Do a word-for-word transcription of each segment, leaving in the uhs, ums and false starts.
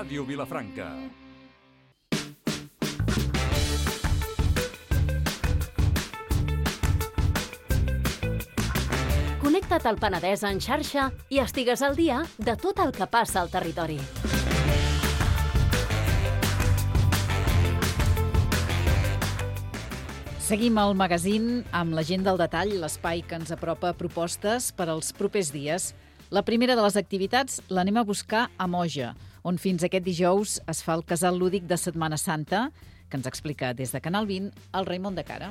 Ràdio Vilafranca. Connecta't al Penedès en xarxa i estigues al dia de tot el que passa al territori. Seguim al magazín amb la gent del detall, l'espai que ens apropa propostes per als propers dies. La primera de les activitats l'anem a buscar a Moja, on fins aquest dijous es fa el casal lúdic de Setmana Santa, que ens explica des de Canal vint el Raimon de Cara.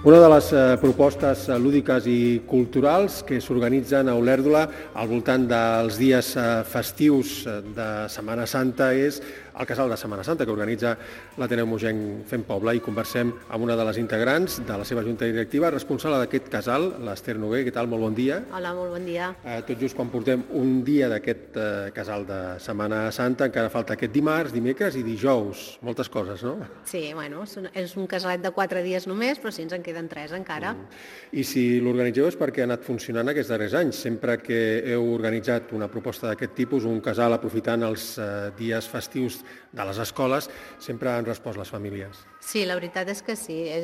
Una de les eh, propostes lúdiques i culturals que s'organitzen a Olèrdola al voltant dels dies eh, festius de Setmana Santa és el Casal de Setmana Santa, que organitza l'Ateneu Mogenc Fem Poble, i conversem amb una de les integrants de la seva junta directiva, responsable d'aquest casal, l'Ester Noguer. Què tal? Molt bon dia. Hola, molt bon dia. Eh, tot just quan portem un dia d'aquest eh, casal de Setmana Santa, encara falta aquest dimarts, dimecres i dijous. Moltes coses, no? Sí, bueno, és un, és un casalet de quatre dies només, però sí, ens en queden tres encara. Mm. I si l'organitzeu és perquè ha anat funcionant aquests darrers anys. Sempre que heu organitzat una proposta d'aquest tipus, un casal aprofitant els eh, dies festius de les escoles, sempre han respost les famílies. Sí, la veritat és que sí. Eh,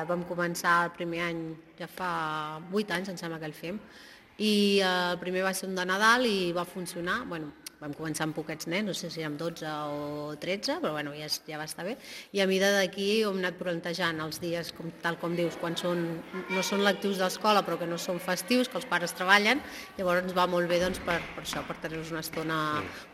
vam començar el primer any, ja fa vuit anys, em sembla que el fem, i eh, el primer va ser un de Nadal i va funcionar. Bueno, vam començar amb poquets nens, no sé si érem dotze o tretze, però bueno, ja, ja va estar bé. I a mida d'aquí hem anat plantejant els dies, com, tal com dius, quan són, no són lectius d'escola però que no són festius, que els pares treballen, llavors ens va molt bé doncs, per, per això, per tenir-los una estona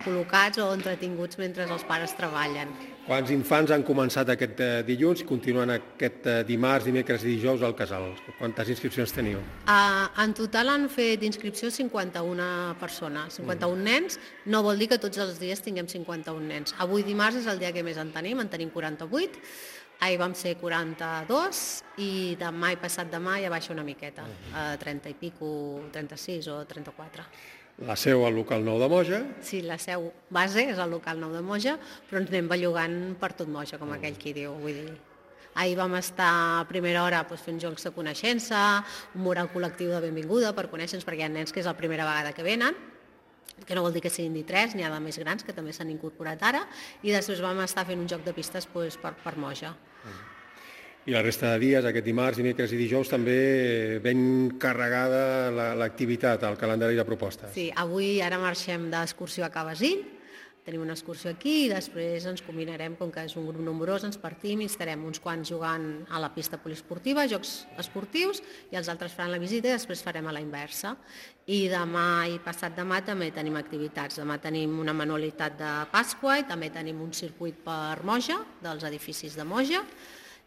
col·locats o entretinguts mentre els pares treballen. Quants infants han començat aquest eh, dilluns i continuen aquest eh, dimarts, dimecres i dijous al casal? Quantes inscripcions teniu? Uh, en total han fet inscripció cinquanta-una persones, cinquanta-un mm. nens. No vol dir que tots els dies tinguem cinquanta-un nens. Avui dimarts és el dia que més en tenim, en tenim quaranta-vuit, ahir vam ser quaranta-dos i demà i passat demà ja baixa una miqueta, a trenta i pico, trenta-sis o trenta-quatre. La seu al local nou de Moja. Sí, la seu base és al local nou de Moja, però ens anem bellugant per tot Moja, com aquell qui diu, vull dir. Ahir vam estar a primera hora doncs, fent jocs de coneixença, un mural col·lectiu de benvinguda per conèixer-nos, perquè hi ha nens que és la primera vegada que venen, que no vol dir que siguin ni tres, n'hi ha de més grans que també s'han incorporat ara, i després vam estar fent un joc de pistes doncs, per, per Moja. I la resta de dies, aquest dimarts, dimecres i dijous, també ben carregada l'activitat, el calendari de propostes. Sí, avui ara marxem d'excursió a Cabasín, tenim una excursió aquí i després ens combinarem, com que és un grup nombrós, ens partim i estarem uns quants jugant a la pista poliesportiva, jocs esportius, i els altres faran la visita i després farem a la inversa. I demà i passat demà també tenim activitats. Demà tenim una manualitat de Pasqua i també tenim un circuit per Moja, dels edificis de Moja,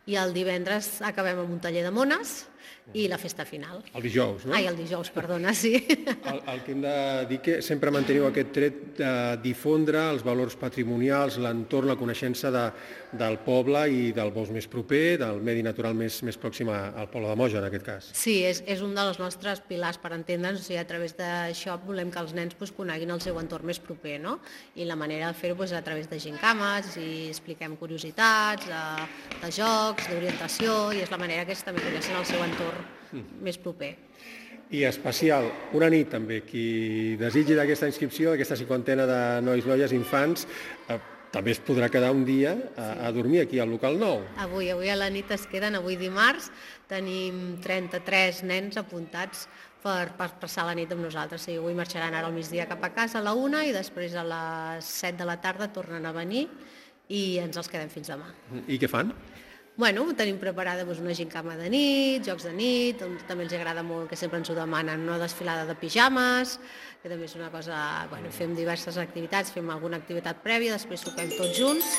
i el divendres acabem amb un taller de mones i la festa final. El dijous, no? Ai, el dijous, perdona, sí. El, el que hem de dir que sempre manteniu aquest tret de difondre els valors patrimonials, l'entorn, la coneixença de, del poble i del bosc més proper, del medi natural més, més pròxim al poble de Moja, en aquest cas. Sí, és, és un dels nostres pilars per entendre'ns, o sigui, a través d'això volem que els nens pues, coneguin el seu entorn més proper, no? I la manera de fer-ho pues, a través de gincames, i expliquem curiositats, de, de jocs, d'orientació, i és la manera que ells també coneixen el seu entorn més proper. I especial, una nit també, qui desitgi d'aquesta inscripció, d'aquesta cinquantena de nois, noies, infants, eh, també es podrà quedar un dia a, a dormir aquí al local nou. Avui, avui a la nit es queden, avui dimarts, tenim trenta-tres nens apuntats per, per passar la nit amb nosaltres. Sí, avui marxaran ara al migdia cap a casa a la una i després a les set de la tarda tornen a venir i ens els quedem fins demà. I què fan? Bueno, tenim preparada doncs, una gincama de nit, jocs de nit, també els agrada molt, que sempre ens ho demanen, una desfilada de pijames, que també és una cosa... Bueno, fem diverses activitats, fem alguna activitat prèvia, després sopem tots junts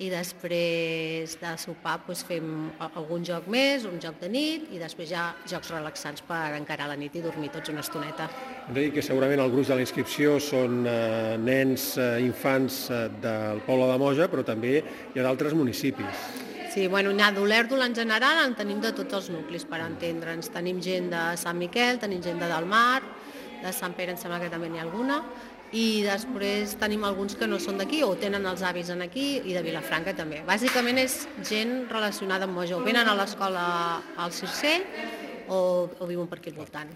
i després de sopar doncs, fem algun joc més, un joc de nit i després ja jocs relaxants per encarar la nit i dormir tots una estoneta. Hem de dir que segurament el gruix de la inscripció són eh, nens, eh, infants eh, del poble de Moja, però també hi ha d'altres municipis. Sí, bueno, n'hi ha d'Olèrdola en general, en tenim de tots els nuclis, per entendre'ns. Tenim gent de Sant Miquel, tenim gent de Delmar, de Sant Pere em sembla que també n'hi ha alguna, i després tenim alguns que no són d'aquí o tenen els avis en aquí i de Vilafranca també. Bàsicament és gent relacionada amb Moja, o venen a l'escola al Circell o, o viuen per aquí al voltant.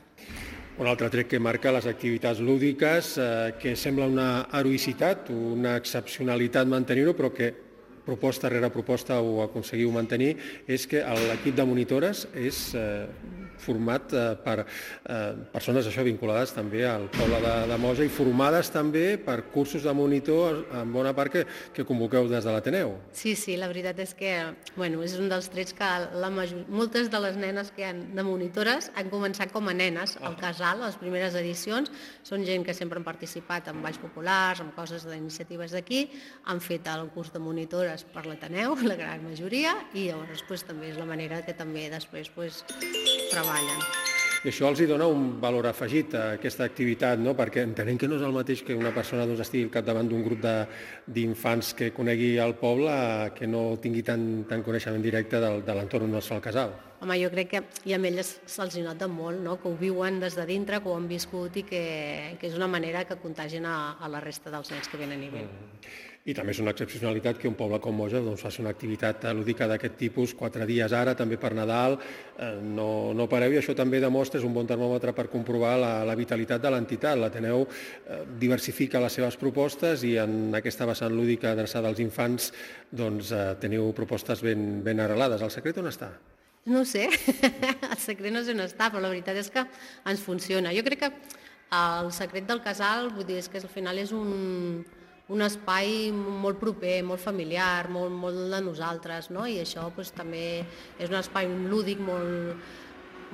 Un altre tret que marca les activitats lúdiques, eh, que sembla una heroïcitat, una excepcionalitat mantenir-ho, però que proposta rere proposta ho aconseguiu mantenir, és que l'equip de monitores és eh, format eh, per eh, persones això vinculades també al poble de, de Moja i formades també per cursos de monitor en bona part que, que convoqueu des de l'Ateneu. Sí, sí, la veritat és que bueno, és un dels trets que la major... moltes de les nenes que hi ha de monitores han començat com a nenes al casal, les primeres edicions. Són gent que sempre han participat en balls populars, en coses d'iniciatives d'aquí, han fet el curs de monitores per l'Ateneu, la gran majoria, i llavors pues, també és la manera que també després pues, treballen. I això els hi dona un valor afegit a aquesta activitat, no? Perquè entenem que no és el mateix que una persona doncs, estigui al capdavant d'un grup d'infants que conegui el poble que no tingui tant, tant coneixement directe de, de l'entorn on es fa el casal. Home, jo crec que i a elles se'ls nota molt, no? Que ho viuen des de dintre, que ho han viscut i que, que és una manera que contagien a, a la resta dels nens que venen i venen. Mm. I també és una excepcionalitat que un poble com Moja doncs, faci una activitat lúdica d'aquest tipus, quatre dies ara, també per Nadal, eh, no, no pareu, i això també demostra, és un bon termòmetre per comprovar la, la vitalitat de l'entitat. L'Ateneu eh, diversifica les seves propostes i en aquesta vessant lúdica adreçada als infants doncs, eh, teniu propostes ben, ben arrelades. El secret on està? No ho sé, el secret no sé on està, però la veritat és que ens funciona. Jo crec que el secret del casal, vull dir, és que al final és un... un espai molt proper, molt familiar, molt, molt de nosaltres, no? I això doncs, també és un espai lúdic molt,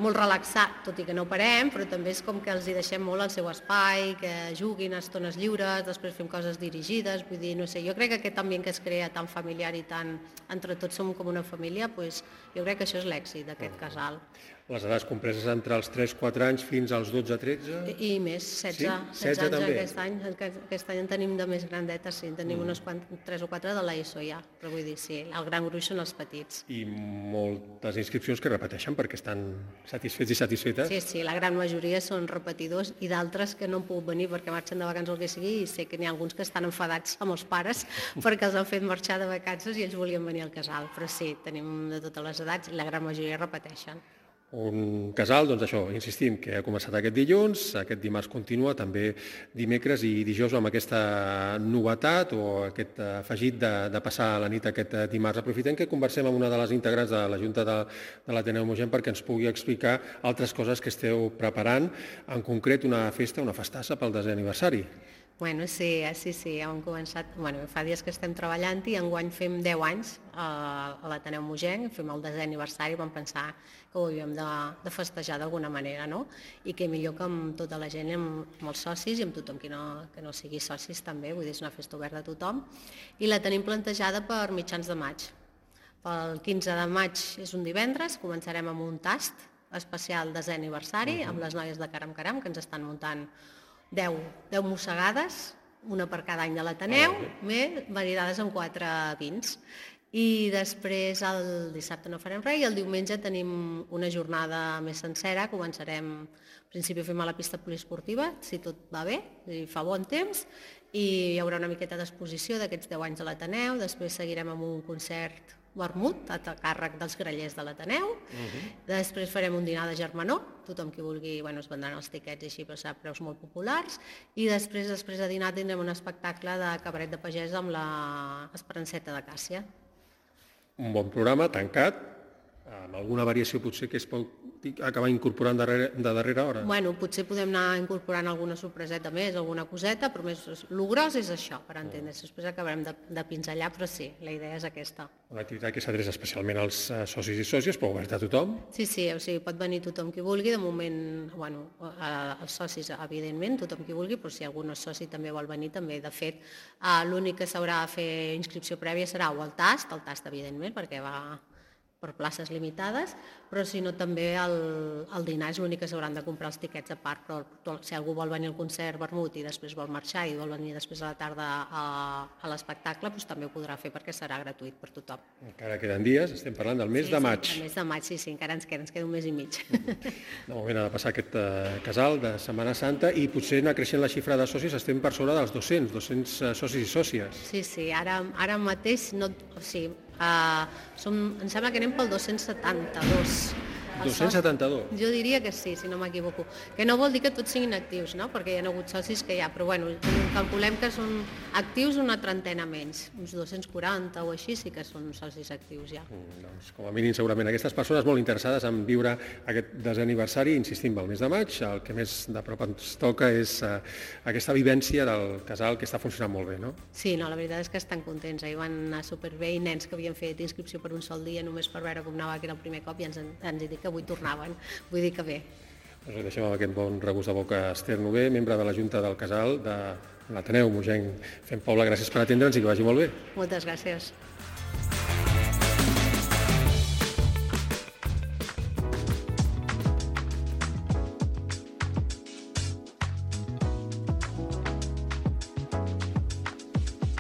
molt relaxat, tot i que no parem, però també és com que els hi deixem molt el seu espai, que juguin a estones lliures, després fem coses dirigides, vull dir, no sé, jo crec que aquest ambient que es crea tan familiar i tan entre tots som com una família, doncs, jo crec que això és l'èxit d'aquest casal. Les edats compreses entre els tres quatre anys fins als dotze tretze? I, i més, setze, sí? setze anys també. Aquest any, aquest any en tenim de més grandetes, sí, en tenim mm. unes tres o quatre de l'ESO ja, però vull dir, sí, el gran gruix són els petits. I moltes inscripcions que repeteixen perquè estan satisfets i satisfetes? Sí, sí, la gran majoria són repetidors i d'altres que no han pogut venir perquè marxen de vacances o el que sigui, i sé que n'hi ha alguns que estan enfadats amb els pares perquè els han fet marxar de vacances i ells volien venir al casal, però sí, tenim de totes les edats i la gran majoria repeteixen. Un casal, doncs això, insistim, que ha començat aquest dilluns, aquest dimarts continua, també dimecres i dijous amb aquesta novetat o aquest afegit de, de passar la nit aquest dimarts. Aprofitem que conversem amb una de les integrants de la Junta de, de l'Ateneu Mogent perquè ens pugui explicar altres coses que esteu preparant, en concret una festa, una festassa pel desè aniversari. Bueno, sí, sí, sí, hem començat, bueno, fa dies que estem treballant i enguany fem deu anys a l'Ateneu Mogent, fem el desè aniversari, vam pensar que ho havíem de, de festejar d'alguna manera, no? I que millor que amb tota la gent, amb, amb els socis i amb tothom que no, que no sigui socis també, vull dir, és una festa oberta a tothom, i la tenim plantejada per mitjans de maig. Pel quinze de maig és un divendres, començarem amb un tast especial desè aniversari, amb les noies de Caram Caram, que ens estan muntant deu, deu mossegades, una per cada any de l'Ateneu, més maridades amb quatre vins. I després el dissabte no farem res i el diumenge tenim una jornada més sencera, començarem, al principi fem a la pista poliesportiva, si tot va bé, i fa bon temps, i hi haurà una miqueta d'exposició d'aquests deu anys de l'Ateneu, després seguirem amb un concert vermut a càrrec dels grallers de l'Ateneu, uh-huh. Després farem un dinar de germanor, tothom qui vulgui, bueno, es vendran els tiquets i així, però serà preus molt populars, i després, després de dinar tindrem un espectacle de cabaret de pagès amb l'Esperanceta de Càssia. Un bon programa, tancat, amb alguna variació potser que es pot acabar incorporant darrere, de darrera hora? Bueno, potser podem anar incorporant alguna sorpreseta més, alguna coseta, però més el gros és això, per entendre's. Després acabarem de, de pinzellar, però sí, la idea és aquesta. Una activitat que s'adreça especialment als socis i sòcies, però oberta a tothom? Sí, sí, o sigui, pot venir tothom qui vulgui, de moment, bueno, els socis, evidentment, tothom qui vulgui, però si algun soci també vol venir, també, de fet, l'únic que s'haurà de fer inscripció prèvia serà o el tast, el tast, evidentment, perquè va per places limitades, però si no també el, el dinar és l'únic que s'hauran de comprar els tiquets a part, però si algú vol venir al concert vermut i després vol marxar i vol venir després a la tarda a, a l'espectacle, doncs també ho podrà fer perquè serà gratuït per tothom. Encara queden dies, estem parlant del mes sí, de maig. Sí, el mes de maig, sí, sí, encara ens queda, ens queda un mes i mig. De moment ha de passar aquest uh, casal de Setmana Santa i potser anar creixent la xifra de socis, estem per sobre dels dos-cents, dos-cents uh, socis i sòcies. Sí, sí, ara, ara mateix, no, o sigui, Uh, som, em sembla que anem pel dos-cents setanta-dos dos-cents setanta-dos? Jo diria que sí, si no m'equivoco. Que no vol dir que tots siguin actius, no? Perquè hi ha hagut socis que hi ha, però bueno, calculem que són actius una trentena menys, uns dos-cents quaranta o així sí que són socis actius ja. Mm, doncs, com a mínim, segurament aquestes persones molt interessades en viure aquest desè aniversari, insistim, al mes de maig, el que més de prop ens toca és eh, aquesta vivència del casal que està funcionant molt bé, no? Sí, no, la veritat és que estan contents, ahir van anar superbé i nens que havien fet inscripció per un sol dia només per veure com anava, que era el primer cop, i ens, ens he dit que avui tornaven, vull dir que bé. Doncs deixem amb aquest bon regust de boca Esther Nové, membre de la Junta del Casal de l'Ateneu Mogenc Fent Poble. Gràcies per atendre'ns i que vagi molt bé. Moltes gràcies.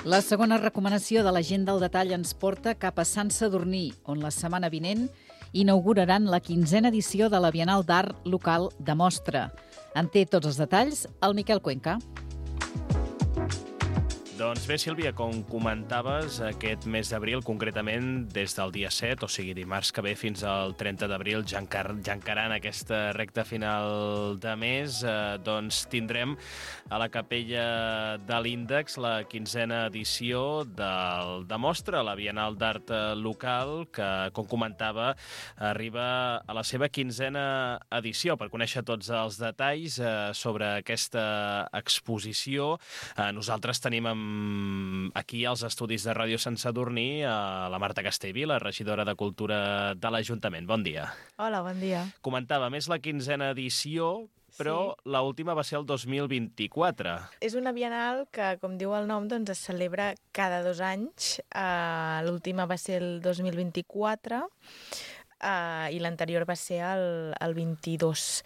La segona recomanació de l'Agenda al detall ens porta cap a Sant Sadurní, on la setmana vinent inauguraran la quinzena edició de la Bienal d'Art Local de Mostra. En té tots els detalls el Miquel Cuenca. Doncs bé, Sílvia, com comentaves, aquest mes d'abril, concretament des del dia set, o sigui dimarts que ve fins al trenta d'abril, ja, encar ja encarant aquesta recta final de mes, eh, doncs tindrem a la Capella de l'Índex la quinzena edició del de Mostra, la Bienal d'Art Local, que, com comentava, arriba a la seva quinzena edició. Per conèixer tots els detalls eh, sobre aquesta exposició, eh, nosaltres tenim amb aquí als estudis de Ràdio Sant Sadurní a la Marta Castellvila, regidora de Cultura de l'Ajuntament. Bon dia. Hola, bon dia. Comentava, més la quinzena edició, però sí, l'última va ser el dos mil vint-i-quatre. És una bienal que, com diu el nom, doncs es celebra cada dos anys. Uh, L'última va ser el dos mil vint-i-quatre uh, i l'anterior va ser el, el vint-i-dos.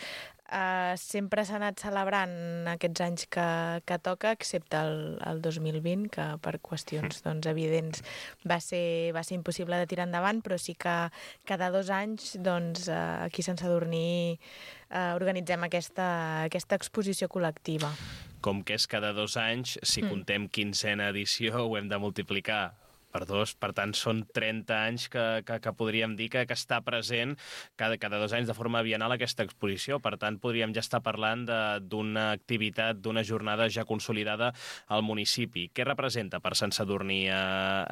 Uh, sempre s'ha anat celebrant aquests anys que, que toca, excepte el, el dos mil vint, que per qüestions doncs, evidents va ser, va ser impossible de tirar endavant, però sí que cada dos anys doncs, uh, aquí a Sant Sadurní uh, organitzem aquesta, aquesta exposició col·lectiva. Com que és cada dos anys, si mm. contem quinzena edició, ho hem de multiplicar per dos, per tant són trenta anys que, que, que podríem dir que, que està present cada, cada dos anys de forma bienal aquesta exposició, per tant podríem ja estar parlant d'una activitat, d'una jornada ja consolidada al municipi. Què representa per Sant Sadurní eh,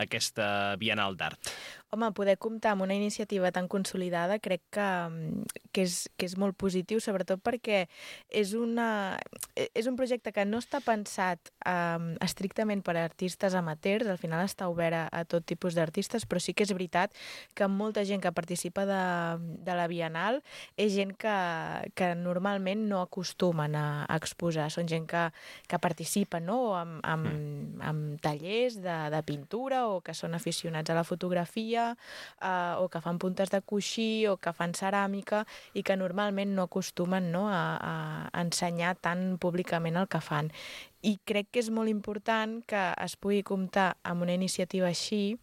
aquesta Bienal d'Art? Home, poder comptar amb una iniciativa tan consolidada crec que, que, és, que és molt positiu, sobretot perquè és, una, és un projecte que no està pensat um, estrictament per a artistes amateurs, al final està obert a, a tot tipus d'artistes, però sí que és veritat que molta gent que participa de, de la Bienal és gent que, que normalment no acostumen a, a exposar, són gent que, que participa, no? amb, amb, amb tallers de, de pintura o que són aficionats a la fotografia, Uh, o que fan puntes de coixí o que fan ceràmica i que normalment no acostumen no, a, a ensenyar tan públicament el que fan. I crec que és molt important que es pugui comptar amb una iniciativa així,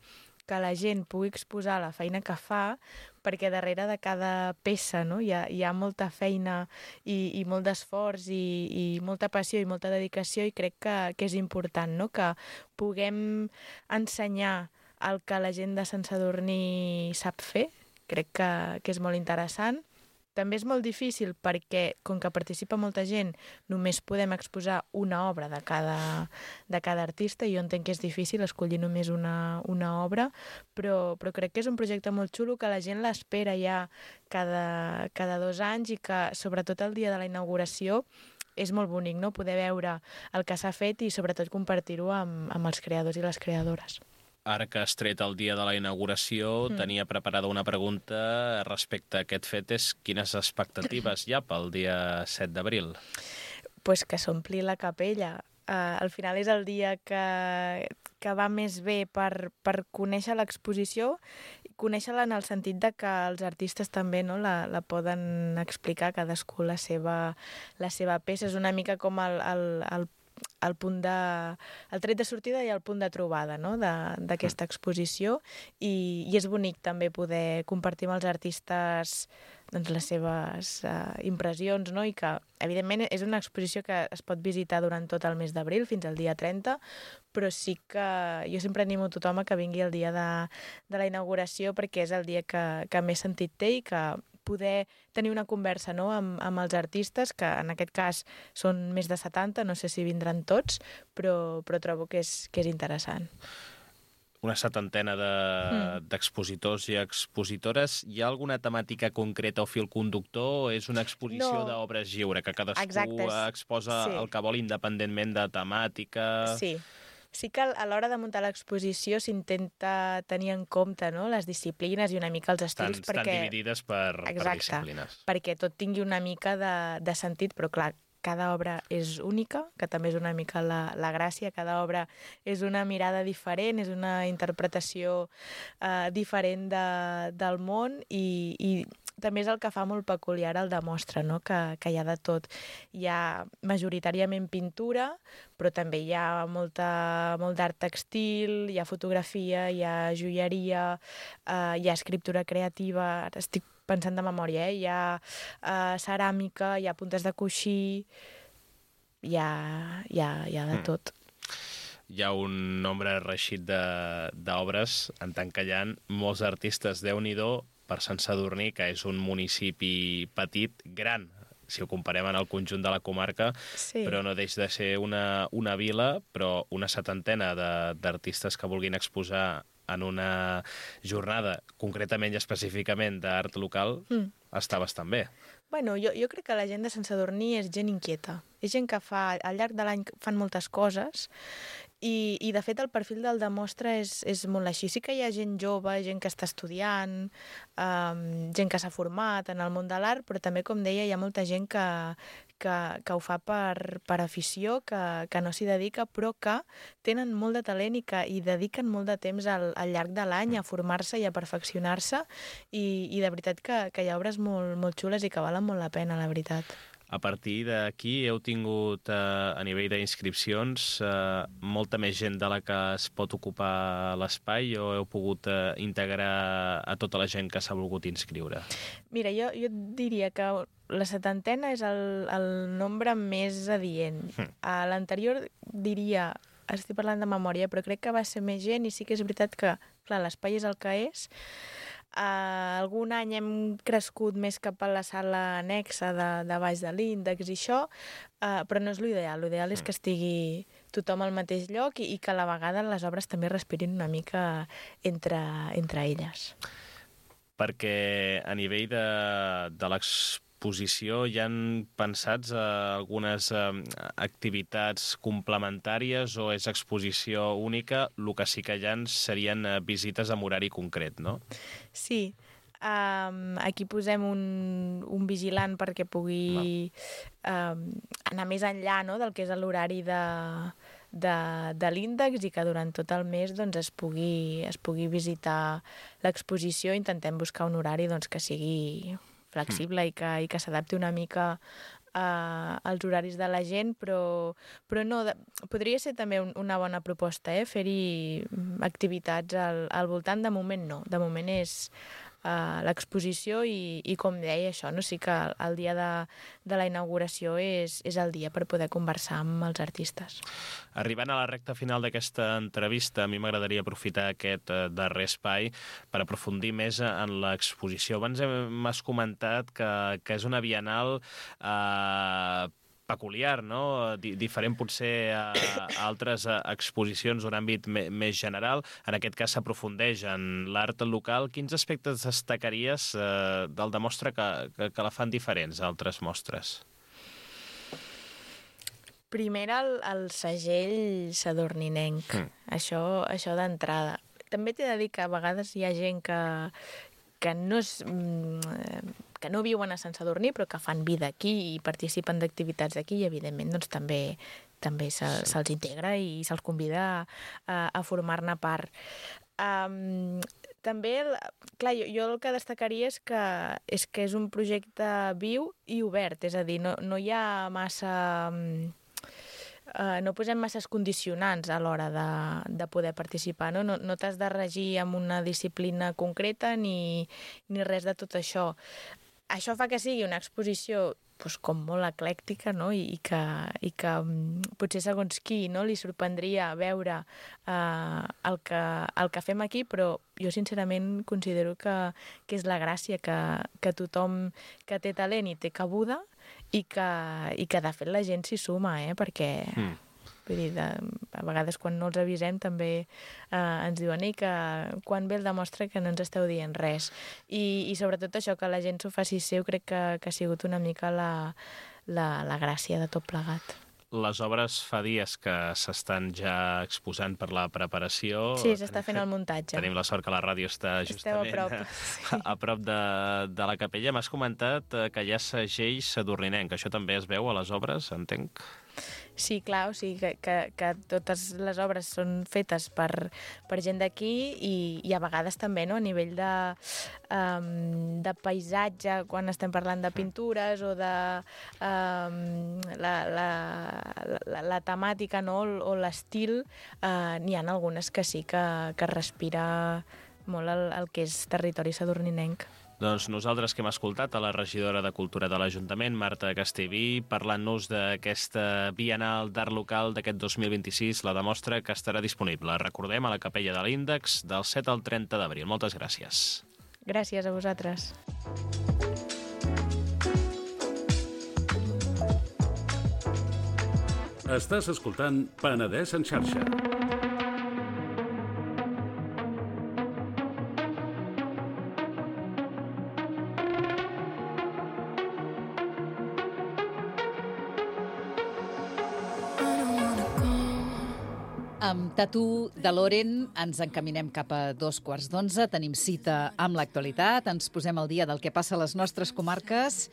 que la gent pugui exposar la feina que fa, perquè darrere de cada peça no, hi, ha, hi ha molta feina i, i molt d'esforç i, i molta passió i molta dedicació, i crec que, que és important no, que puguem ensenyar el que la gent de Sant Sadurní sap fer. Crec que, que és molt interessant. També és molt difícil perquè, com que participa molta gent, només podem exposar una obra de cada, de cada artista, i jo entenc que és difícil escollir només una, una obra, però, però crec que és un projecte molt xulo que la gent l'espera ja cada, cada dos anys, i que sobretot el dia de la inauguració és molt bonic, no? Poder veure el que s'ha fet i sobretot compartir-ho amb, amb els creadors i les creadores. Ara que has tret el dia de la inauguració, mm. tenia preparada una pregunta respecte a aquest fet, és quines expectatives hi ha pel dia set d'abril? Pues que s'ompli la capella. Uh, al final és el dia que, que va més bé per, per conèixer l'exposició, conèixer-la en el sentit de que els artistes també no, la, la poden explicar cadascú la seva, la seva peça. És una mica com el, el, el el punt de, el tret de sortida i el punt de trobada no? d'aquesta exposició, i, i és bonic també poder compartir amb els artistes doncs, les seves uh, impressions, no? I que evidentment és una exposició que es pot visitar durant tot el mes d'abril fins al dia trenta, però sí que jo sempre animo tothom a que vingui el dia de, de la inauguració, perquè és el dia que, que més sentit té i que poder tenir una conversa, no?, amb, amb els artistes, que en aquest cas són més de setanta, no sé si vindran tots, però, però trobo que és, que és interessant. Una setantena d'expositors de, mm. i expositores. Hi ha alguna temàtica concreta o fil conductor o és una exposició no. d'obres lliure, que cadascú Exacte, exposa sí. el que vol independentment de temàtica? Sí. Sí que a l'hora de muntar l'exposició s'intenta tenir en compte, no?, les disciplines i una mica els estils. Estan, perquè... estan dividides per, Exacte, per disciplines. Perquè tot tingui una mica de, de sentit, però clar, cada obra és única, que també és una mica la, la gràcia. Cada obra és una mirada diferent, és una interpretació eh, diferent de, del món i, i també és el que fa molt peculiar el Demostra, no?, que, que hi ha de tot. Hi ha majoritàriament pintura, però també hi ha molta, molt d'art textil, hi ha fotografia, hi ha joieria, eh, hi ha escriptura creativa, ara estic pensant de memòria, eh? Hi ha uh, ceràmica, hi ha puntes de coixí, hi ha, hi ha, hi ha de mm. tot. Hi ha un nombre reixit d'obres, en tant que hi ha molts artistes. Déu-n'hi-do per Sant Sadurní, que és un municipi petit, gran, si ho comparem en el conjunt de la comarca, sí. però no deixa de ser una, una vila, però una setantena d'artistes que vulguin exposar en una jornada, concretament i específicament d'art local, mm. està bastant bé. Bueno, jo, jo crec que la gent de Sant Sadurní és gent inquieta. És gent que fa, al llarg de l'any fan moltes coses i, i de fet, el perfil del Demostra és, és molt així. Sí que hi ha gent jove, gent que està estudiant, um, gent que s'ha format en el món de l'art, però també, com deia, hi ha molta gent que, que, que ho fa per, per afició, que, que no s'hi dedica, però que tenen molt de talent i que hi dediquen molt de temps al, al llarg de l'any a formar-se i a perfeccionar-se i, i de veritat que, que hi ha obres molt, molt xules i que valen molt la pena, la veritat. A partir d'aquí heu tingut, eh, a nivell d'inscripcions, eh, molta més gent de la que es pot ocupar l'espai o heu pogut eh, integrar a tota la gent que s'ha volgut inscriure? Mira, jo, jo diria que la setantena és el, el nombre més adient. Hm. A l'anterior diria, estic parlant de memòria, però crec que va ser més gent i sí que és veritat que, clar, l'espai és el que és. Uh, algun any hem crescut més cap a la sala anexa de, de baix de l'índex i això, uh, però no és l'ideal. L'ideal és que estigui tothom al mateix lloc i, i que a la vegada les obres també respirin una mica entre, entre elles. Perquè a nivell de, de l'exposició hi han pensats eh, algunes eh, activitats complementàries o és exposició única? El que sí que hi ha serien eh, visites amb horari concret, no? Sí. Um, aquí posem un, un vigilant perquè pugui um, anar més enllà, no?, del que és l'horari de, de, de l'índex i que durant tot el mes doncs, es, pugui, es pugui visitar l'exposició. Intentem buscar un horari doncs, que sigui flexible mm. i que, i que s'adapti una mica uh, als horaris de la gent, però, però no, de, podria ser també un, una bona proposta, eh? Fer-hi activitats al, al voltant. De moment no, de moment és uh, l'exposició i, i com deia això, no? Sí que el dia de, de la inauguració és, és el dia per poder conversar amb els artistes. Arribant a la recta final d'aquesta entrevista, a mi m'agradaria aprofitar aquest eh, darrer espai per aprofundir més en l'exposició. Abans m'has comentat que, que és una bienal eh, peculiar, no? D diferent potser a, a altres exposicions d'un àmbit més general. En aquest cas s'aprofundeix en l'art local. Quins aspectes destacaries eh, del Demostra que, que, que la fan diferents a altres mostres? Primer el, el segell sadurninenc, mm. això, això d'entrada. També t'he de dir que a vegades hi ha gent que, que, no és, que no viuen a Sant Sadurní però que fan vida aquí i participen d'activitats d'aquí i evidentment doncs, també, també se'ls se integra i se'ls convida a, a formar-ne part. Um, també, clar, jo, jo el que destacaria és que, és que és un projecte viu i obert, és a dir, no, no hi ha massa... Uh, no posem masses condicionants a l'hora de, de poder participar, no, no, no t'has de regir amb una disciplina concreta ni, ni res de tot això. Això fa que sigui una exposició doncs, com molt eclèctica, no? I, i, que, i que potser segons qui, no? Li sorprendria veure eh, el, que, el que fem aquí, però jo sincerament considero que, que és la gràcia, que, que tothom que té talent i té cabuda i que, i que de fet la gent s'hi suma, eh? Perquè... Mm. Vull dir, de, a vegades quan no els avisem també eh, ens diuen Ei, que quan ve el demostra que no ens esteu dient res. I, i sobretot això, que la gent s'ho faci seu, crec que, que ha sigut una mica la, la, la gràcia de tot plegat. Les obres fa dies que s'estan ja exposant per la preparació. Sí, s'està fent el muntatge. Tenim la sort que la ràdio està justament a prop, sí. a prop de, de la capella. M'has comentat que hi ha segell sadurninenc. Això també es veu a les obres, entenc? Sí, clar, o sigui que, que, que totes les obres són fetes per, per gent d'aquí i, i a vegades també, no?, a nivell de, um, de paisatge, quan estem parlant de pintures o de um, la, la, la, la temàtica, no?, o, o l'estil, uh, n'hi ha algunes que sí que, que respira molt el, el que és territori sadurninenc. Doncs nosaltres que hem escoltat a la regidora de Cultura de l'Ajuntament, Marta Castellví, parlant-nos d'aquesta Bienal d'Art Local d'aquest dos mil vint-i-sis, la demostra que estarà disponible, recordem, a la Capella de l'Índex del set al trenta d'abril. Moltes gràcies. Gràcies a vosaltres. Estàs escoltant Penedès en xarxa. Amb Tatu de Loren ens encaminem cap a dos quarts d'onze. Tenim cita amb l'actualitat, ens posem al dia del que passa a les nostres comarques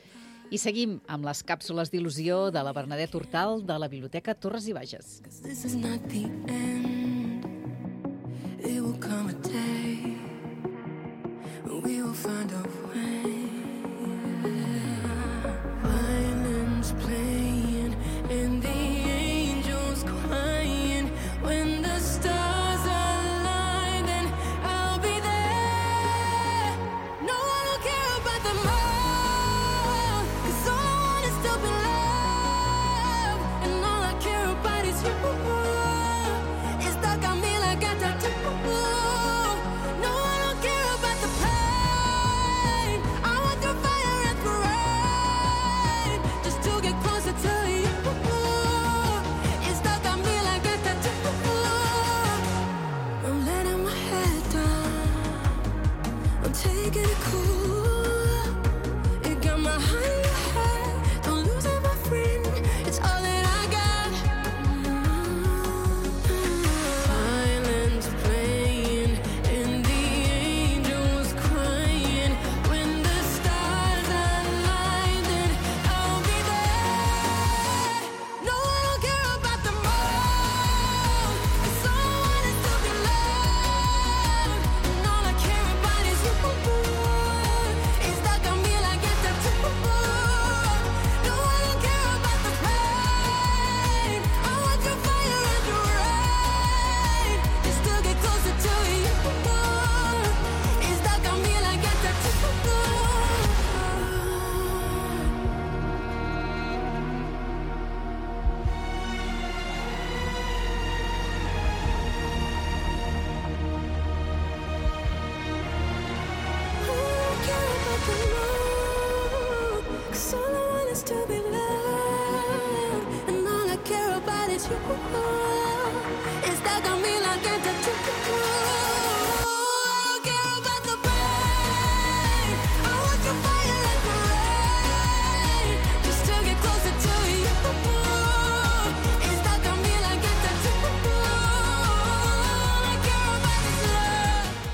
i seguim amb les càpsules d'il·lusió de la Bernadette Hortal de la Biblioteca Torres i Bages.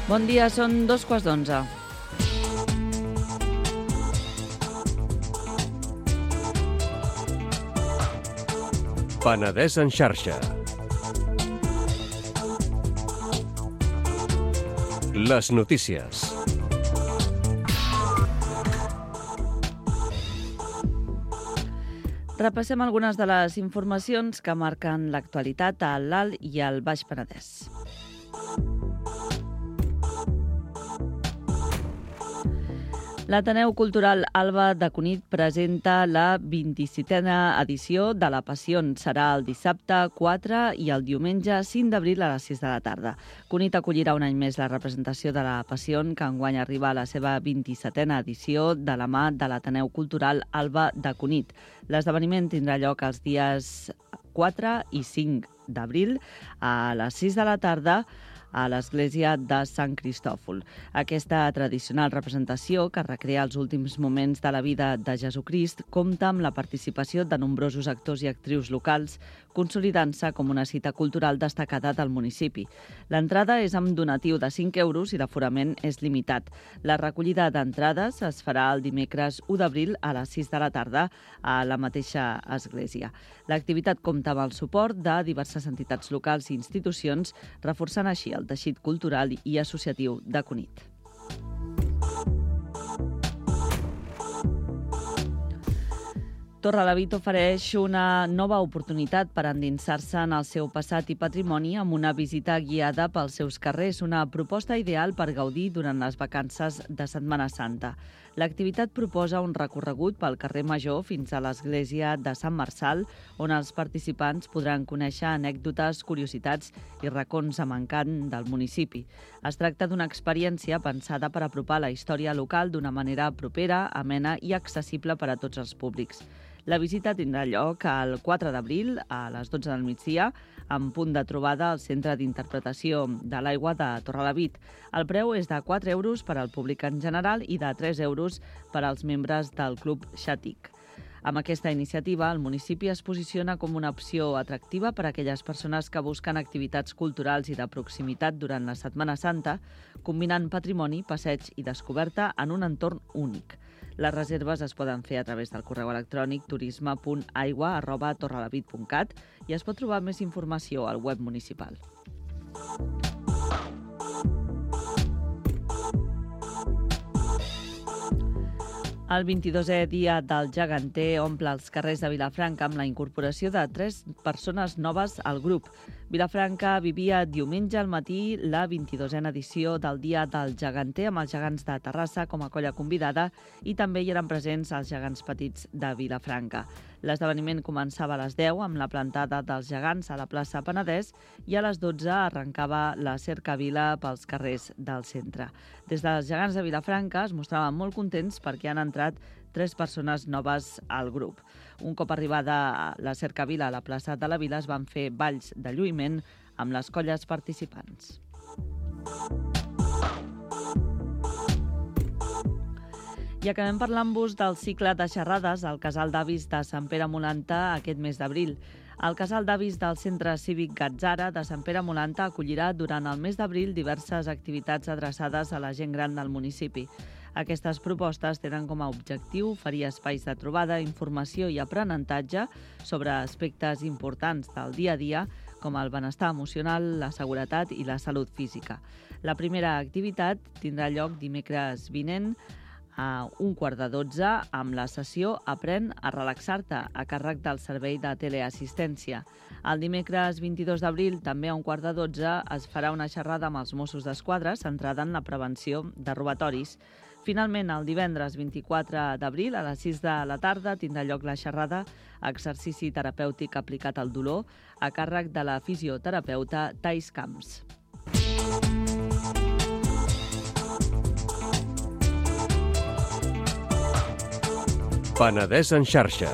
Bon dia, són dos quarts d'onze. Penedès en xarxa. Les notícies. Repassem algunes de les informacions que marquen l'actualitat a l'Alt i al Baix Penedès. L'Ateneu Cultural Alba de Cunit presenta la vint-i-setena edició de la Passion. Serà el dissabte quatre i el diumenge cinc d'abril a les sis de la tarda. Cunit acollirà un any més la representació de la Passion, que enguany arriba a la seva vint-i-setena edició de la mà de l'Ateneu Cultural Alba de Cunit. L'esdeveniment tindrà lloc els dies quatre i cinc d'abril a les sis de la tarda a l'església de Sant Cristòfol. Aquesta tradicional representació, que recrea els últims moments de la vida de Jesucrist, compta amb la participació de nombrosos actors i actrius locals, consolidant-se com una cita cultural destacada del municipi. L'entrada és amb donatiu de cinc euros i l'aforament és limitat. La recollida d'entrades es farà el dimecres u d'abril a les sis de la tarda a la mateixa església. L'activitat compta amb el suport de diverses entitats locals i institucions, reforçant així el teixit cultural i associatiu de Cunit. Torrelavit ofereix una nova oportunitat per endinsar-se en el seu passat i patrimoni amb una visita guiada pels seus carrers, una proposta ideal per gaudir durant les vacances de Setmana Santa. L'activitat proposa un recorregut pel carrer Major fins a l'església de Sant Marçal, on els participants podran conèixer anècdotes, curiositats i racons amb encant del municipi. Es tracta d'una experiència pensada per apropar la història local d'una manera propera, amena i accessible per a tots els públics. La visita tindrà lloc el quatre d'abril a les dotze del migdia, amb punt de trobada al Centre d'Interpretació de l'Aigua de Torrelavit. El preu és de quatre euros per al públic en general i de tres euros per als membres del Club Xàtic. Amb aquesta iniciativa, el municipi es posiciona com una opció atractiva per a aquelles persones que busquen activitats culturals i de proximitat durant la Setmana Santa, combinant patrimoni, passeig i descoberta en un entorn únic. Les reserves es poden fer a través del correu electrònic turisme punt aigua arroba torrelavit punt cat i es pot trobar més informació al web municipal. El vint-i-dosè dia del Geganter omple els carrers de Vilafranca amb la incorporació de tres persones noves al grup. Vilafranca vivia diumenge al matí la vint-i-dosena edició del Dia del Geganter amb els gegants de Terrassa com a colla convidada i també hi eren presents els gegants petits de Vilafranca. L'esdeveniment començava a les deu amb la plantada dels gegants a la plaça Penedès i a les dotze arrencava la cercavila pels carrers del centre. Des dels gegants de Vilafranca es mostraven molt contents perquè han entrat tres persones noves al grup. Un cop arribada la cercavila a la plaça de la Vila es van fer balls de lluïment amb les colles participants. I acabem parlant-vos del cicle de xerrades al Casal d'Avis de Sant Pere Molanta aquest mes d'abril. El Casal d'Avis del Centre Cívic Gatzara de Sant Pere Molanta acollirà durant el mes d'abril diverses activitats adreçades a la gent gran del municipi. Aquestes propostes tenen com a objectiu oferir espais de trobada, informació i aprenentatge sobre aspectes importants del dia a dia, com el benestar emocional, la seguretat i la salut física. La primera activitat tindrà lloc dimecres vinent a un quart de dotze amb la sessió Aprèn a relaxar-te a càrrec del servei de teleassistència. El dimecres vint-i-dos d'abril, també a un quart de dotze, es farà una xerrada amb els Mossos d'Esquadra centrada en la prevenció de robatoris. Finalment, el divendres vint-i-quatre d'abril, a les sis de la tarda, tindrà lloc la xerrada Exercici terapèutic aplicat al dolor a càrrec de la fisioterapeuta Thais Camps. Penedès en xarxa.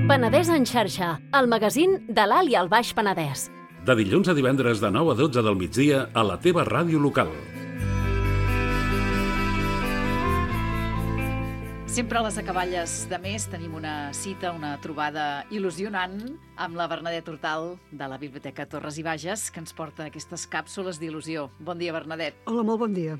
Penedès en xarxa, el magazín de l'Alt i el Baix Penedès. De dilluns a divendres de nou a dotze del migdia a la teva ràdio local. Sempre a les acaballes de mes tenim una cita, una trobada il·lusionant amb la Bernadette Hortal de la Biblioteca Torres i Bages, que ens porta aquestes càpsules d'il·lusió. Bon dia, Bernadette. Hola, molt bon dia.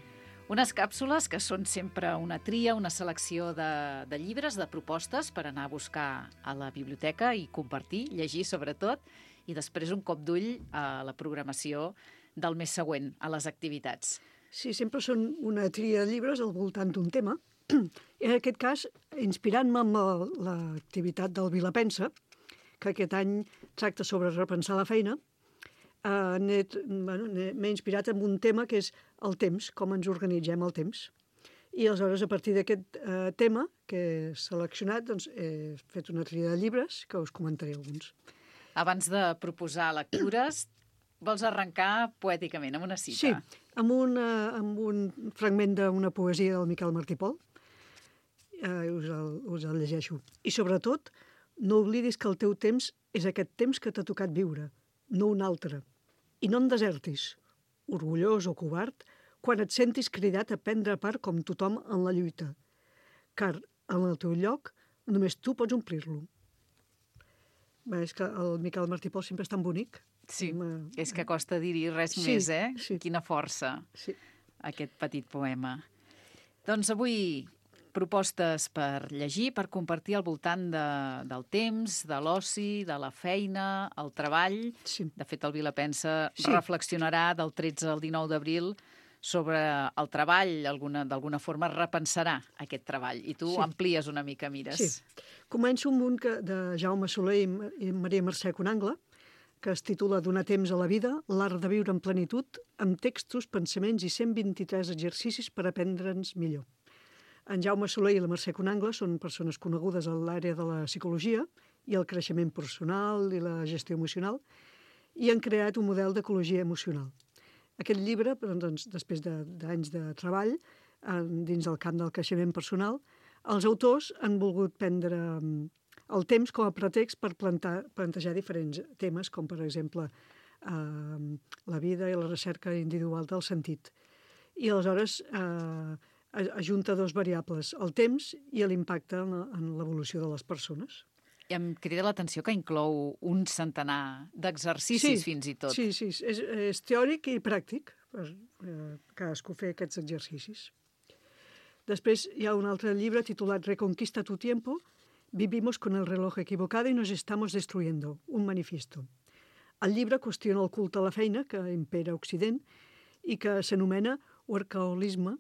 Unes càpsules que són sempre una tria, una selecció de, de llibres, de propostes per anar a buscar a la biblioteca i compartir, llegir sobretot, i després un cop d'ull a la programació del mes següent, a les activitats. Sí, sempre són una tria de llibres al voltant d'un tema, En aquest cas, inspirant-me amb la- l'activitat del Vilapensa, que aquest any tracta sobre repensar la feina, eh, n'he- bueno, n'he- m'he inspirat en un tema que és el temps, com ens organitzem el temps. I aleshores, a partir d'aquest eh, tema que he seleccionat, doncs, he fet una tria de llibres que us comentaré alguns. Abans de proposar lectures, vols arrencar poèticament amb una cita? Sí, amb un, eh, amb un fragment d'una poesia del Miquel Martí Pol. Eh, us, el, us el llegeixo. I sobretot, no oblidis que el teu temps és aquest temps que t'ha tocat viure, no un altre. I no en desertis, orgullós o covard, quan et sentis cridat a prendre part com tothom en la lluita. Car en el teu lloc només tu pots omplir-lo. Bé, és que el Miquel Martí Pol sempre és tan bonic. Sí, Ma... és que costa dir-hi res Sí, més, eh? sí. Quina força, Sí. aquest petit poema. Doncs avui propostes per llegir, per compartir al voltant de, del temps, de l'oci, de la feina, el treball. Sí. De fet, el Vilapensa Sí. reflexionarà del tretze al dinou d'abril sobre el treball, alguna, d'alguna forma repensarà aquest treball. I tu Sí. amplies una mica, mires. Sí. Començo amb un que, de Jaume Soler i Ma- i Maria Mercè Conangle, que es titula Donar temps a la vida, l'art de viure en plenitud, amb textos, pensaments i cent vint-i-tres exercicis per aprendre'ns millor. En Jaume Soler i la Mercè Conangle són persones conegudes a l'àrea de la psicologia i el creixement personal i la gestió emocional, i han creat un model d'ecologia emocional. Aquest llibre, doncs, després de- d'anys de, de treball en, dins del camp del creixement personal, els autors han volgut prendre mm, el temps com a pretext per plantar, plantejar diferents temes, com per exemple eh, la vida i la recerca individual del sentit. I aleshores eh, ajunta dos variables, el temps i l'impacte en, la- en l'evolució de les persones. I em crida l'atenció que inclou un centenar d'exercicis fins i tot. Sí, sí, és, és teòric i pràctic per eh, cadascú fer aquests exercicis. Després hi ha un altre llibre titulat Reconquista tu tiempo, Vivimos con el reloj equivocado y nos estamos destruyendo, un manifiesto. El llibre qüestiona el culte a la feina que impera a Occident i que s'anomena workaholisme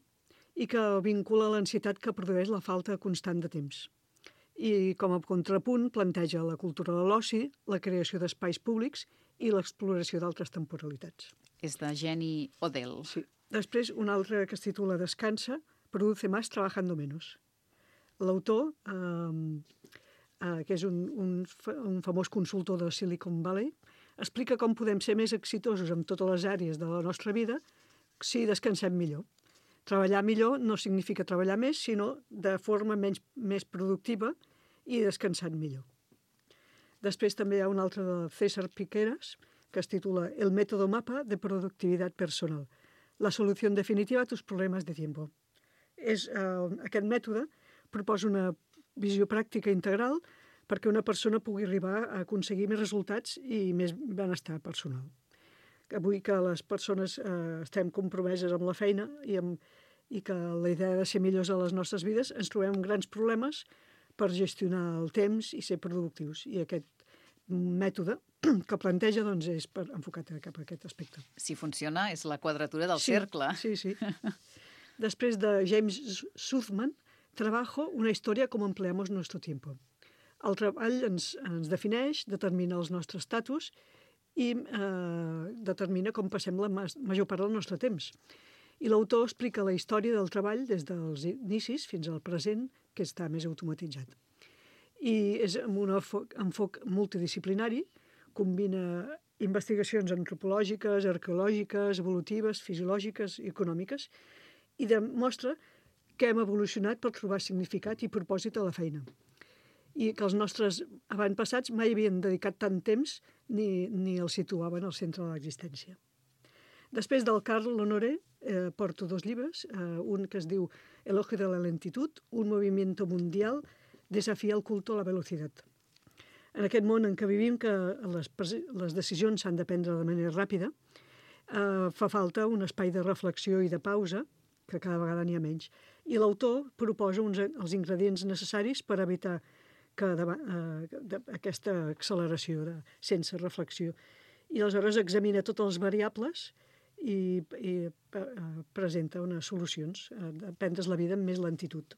i que vincula l'ansietat que produeix la falta constant de temps. I com a contrapunt planteja la cultura de l'oci, la creació d'espais públics i l'exploració d'altres temporalitats. És de Jenny Odell. Sí. Després, un altre que es titula Descansa, Produce más trabajando menos. L'autor, eh, eh, que és un, un, fa- un famós consultor de Silicon Valley, explica com podem ser més exitosos en totes les àrees de la nostra vida si descansem millor. Treballar millor no significa treballar més, sinó de forma menys, més productiva i descansant millor. Després també hi ha un altre de César Piqueras, que es titula El método mapa de productivitat personal. La solució definitiva a tus problemes de tiempo. És, eh, aquest mètode proposa una visió pràctica integral perquè una persona pugui arribar a aconseguir més resultats i més benestar personal. Avui que les persones eh, estem compromeses amb la feina i, amb, i que la idea de ser millors a les nostres vides, ens trobem amb grans problemes per gestionar el temps i ser productius. I aquest mètode que planteja doncs, és per enfocat cap a aquest aspecte. Si funciona, és la quadratura del Sí, cercle. Sí, sí. Després de James Suthman, Trabajo, una història com empleamos nuestro tiempo. El treball ens, ens defineix, determina els nostres estatus i eh, determina com passem la mas- major part del nostre temps. I l'autor explica la història del treball des dels inicis fins al present, que està més automatitzat. I és amb un enfoc, enfoc multidisciplinari, combina investigacions antropològiques, arqueològiques, evolutives, fisiològiques i econòmiques, i demostra que hem evolucionat per trobar significat i propòsit a la feina. I que els nostres avantpassats mai havien dedicat tant temps ni, ni el situaven al centre de l'existència. Després del Carl Honoré eh, porto dos llibres, eh, un que es diu Elogio de la lentitud, un movimiento mundial desafia el culto a la velocitat. En aquest món en què vivim, que les, les decisions s'han de prendre de manera ràpida, eh, fa falta un espai de reflexió i de pausa, que cada vegada n'hi ha menys. I l'autor proposa uns, els ingredients necessaris per evitar que de, eh, de, aquesta acceleració de, sense reflexió. I aleshores examina totes les variables i, i eh, presenta unes solucions, eh, de prendre's la vida amb més lentitud.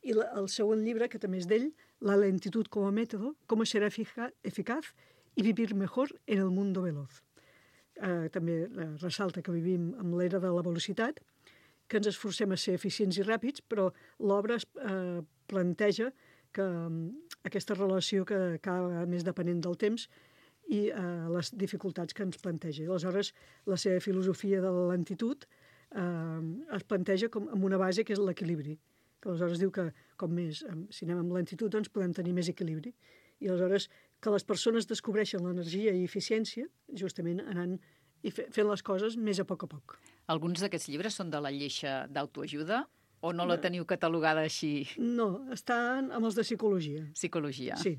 I la, el segon llibre, que també és d'ell, La lentitud como método, cómo ser efica eficaz y vivir mejor en el mundo veloz. Eh, també eh, ressalta que vivim amb l'era de la velocitat, que ens esforcem a ser eficients i ràpids, però l'obra eh, planteja que eh, aquesta relació que cada vegada més depenent del temps i eh, les dificultats que ens planteja. Aleshores, la seva filosofia de la lentitud eh, es planteja com amb una base que és l'equilibri, que aleshores diu que com més, si anem amb lentitud, doncs podem tenir més equilibri. I aleshores que les persones descobreixen l'energia i eficiència justament anant i fent les coses més a poc a poc. Alguns d'aquests llibres són de la lleixa d'autoajuda o no la teniu catalogada així? No, estan amb els de psicologia. Psicologia. Sí.